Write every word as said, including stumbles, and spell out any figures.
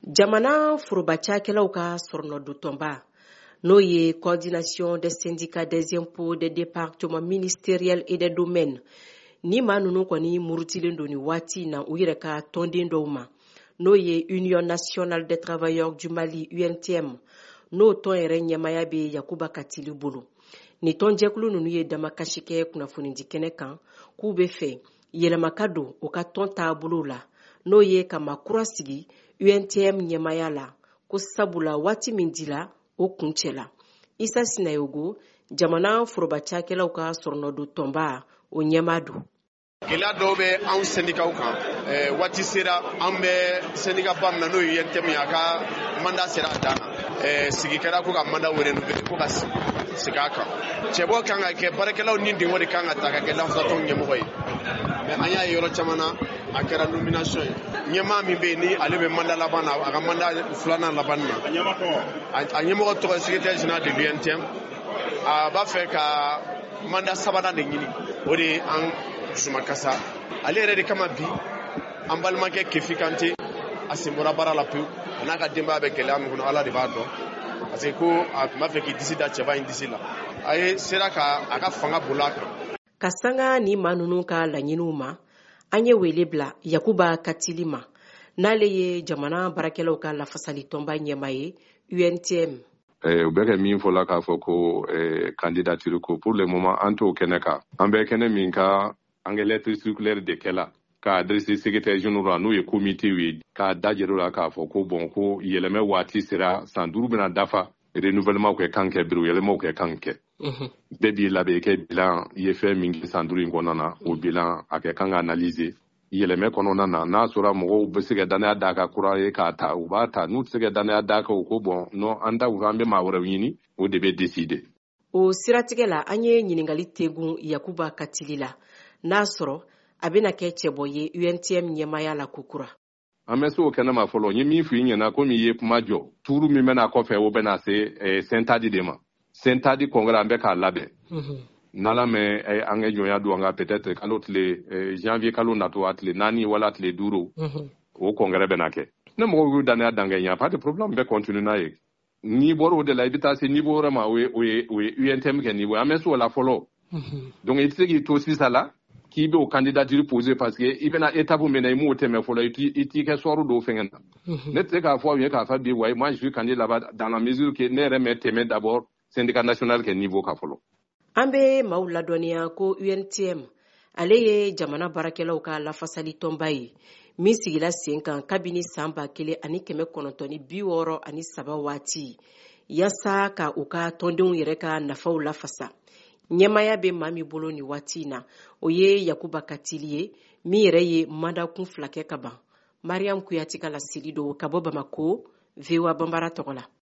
Jamana foroba cakɛlaw ka sɔrɔnɔdon, n'o ye Coordination des syndicats des impôts des départements ministériels et des domaines, ni maa ninnu kɔni murutilen don nin waati in na u yɛrɛ ka tɔnden dɔw ma, n'o ye Union nationale des travailleurs du Mali, U N T M, n'o tɔn yɛrɛ ɲɛmaya bɛ Yakuba Katili bolo. Nin tɔnjɛkulu ninnu ye damakasi kɛ kunnafonidi kɛnɛ kan k'u bɛ fɛ yɛlɛma ka don u ka tɔn taabolo la, n'o ye ka maa kura sigi U N T M ɲɛmaya la, ko sabula waati min dila, o kuncɛla. Isa Sinayogo, jamana foroba cakɛlaw ka sɔrɔnɔdon tɔnba, o ɲɛmaa don. Gɛlɛya dɔw bɛ anw sɛndikaw kan. Waati sera, an bɛ syndicat ba min na, n'o ye U N T M ye, a ka mandat sera a dan na. Sigi kɛra ko ka mandat renouveler, ko ka segin a kan. Cɛbɔ kan ka kɛ, baarakɛlaw ni dingɔ de kan ka ta ka kɛ lafasatɔnw ɲɛmɔgɔ ye. Mais an y'a ye yɔrɔ caman na, a kɛra nomination ye. Ɲɛmaa min bɛ yen, ni ale bɛ mandat laban na, a ka mandat filanan laban na, a ɲɛmɔgɔ tɔgɔ ye secrétaire général de l'U N T M, a b'a fɛ ka mandat sabanan de ɲini. O de ye an dusumakasa. Ale yɛrɛ de kama bi, an balimakɛ Kefi Kante, a sen bɔra baara la pewu. A n'a ka denbaya bɛ gɛlɛya min kɔnɔ, Ala de b'a dɔn, parce que ko a tun b'a fɛ k'i disi da cɛba in disi la, a ye sera ka a ka fanga boli a kan. Ka sanga ni maa ninnu ka laɲiniw ma, an ye wele bila Yakuba Katili ma, n'ale ye jamana baarakɛlaw ka lafasali tɔnba ɲɛma ye, U N T M. U bɛ kɛ min fɔla k'a fɔ ko candidature ko, pour le moment an t'o kɛnɛ kan. An bɛ kɛnɛ min kan, an kɛ lettre circulaire de kɛla k'a adressé secrétaire général, n'o ye comité ye, k'a dajɛr'o la k'a fɔ ko bon, ko yɛlɛmɛ waati sera, san duuru bɛna dafa, renouvellement kɛ kan kɛ, bureau yɛlɛmaw kɛ kan kɛ. Bɛɛ b'i labɛn i kɛ bilan i ye fɛn min kɛ san duuru in kɔnɔna na, o bilan a kɛ kan ka analyser yɛlɛmɛ kɔnɔna na. N'a sɔrɔ mɔgɔw bɛ se ka danaya d'a kan kura ye k'a ta, u b'a ta. N'u tɛ se ka danaya d'a kan, u ko bon, non, an ta, an bɛ maa wɛrɛw ɲini, o de bɛ décider. O siratigɛ la, an ye ɲininkali tegun Yakuba Katili la, n'a sɔrɔ a bɛna kɛ cɛbɔ ye U N T M ɲɛmaya la kokura. An bɛ se o kɛnɛ ma fɔlɔ. N ye min f'i ɲɛna, komi i ye kuma jɔ, tuuru min bɛna kɔfɛ, o bɛna se Sentadi de ma. Sentadi congrès, an bɛ k'a labɛn. N'Ala mɛ an kɛ jɔnya don an ka, peut-être kalo tile janvier kalo natɔ, a tile naani wala tile duuru, o congrès bɛna kɛ. Ne mɔgɔw y'u danaya dan kɛ, y a pas de problème, bɛ continuer n'a ye. N'i bɔra o de la, i bɛ taa se niveau wɛrɛ ma, o ye o ye o ye U N T M kɛ niveau ye. An bɛ se o la fɔlɔ. Donc i tɛ se k'i to sisan la k'i bɛ o candidature poser, parce que i bɛna étape min na, i m'o tɛmɛ fɔlɔ, i t'i kɛ sɔɔri dɔw fɛngɛ na. Ne tɛ se k'a fɔ aw ye k'a fɔ bi, wayi, moi je suis candidat là-bas, dans la mesure que ne yɛrɛ mɛ tɛmɛ d'abord syndicat national kɛ niveau kan fɔlɔ. An bɛ maaw ladɔnniya ko U N T M, ale ye jamana baarakɛlaw ka lafasali tɔnba ye min sigila sen kan kabini san ba kelen ani kɛmɛ kɔnɔntɔn ni bi wɔɔrɔ ani saba waati, yaasa ka u ka tɔndenw yɛrɛ ka nafaw lafasa. Ɲɛmaya bɛ maa min bolo nin waati in na, o ye Yakuba Katili ye, min yɛrɛ ye mandat kun fila kɛ ka ban. Mariam Kuyati ka laseli don ka bɔ Bamako, V O A Banbara tɔgɔ la.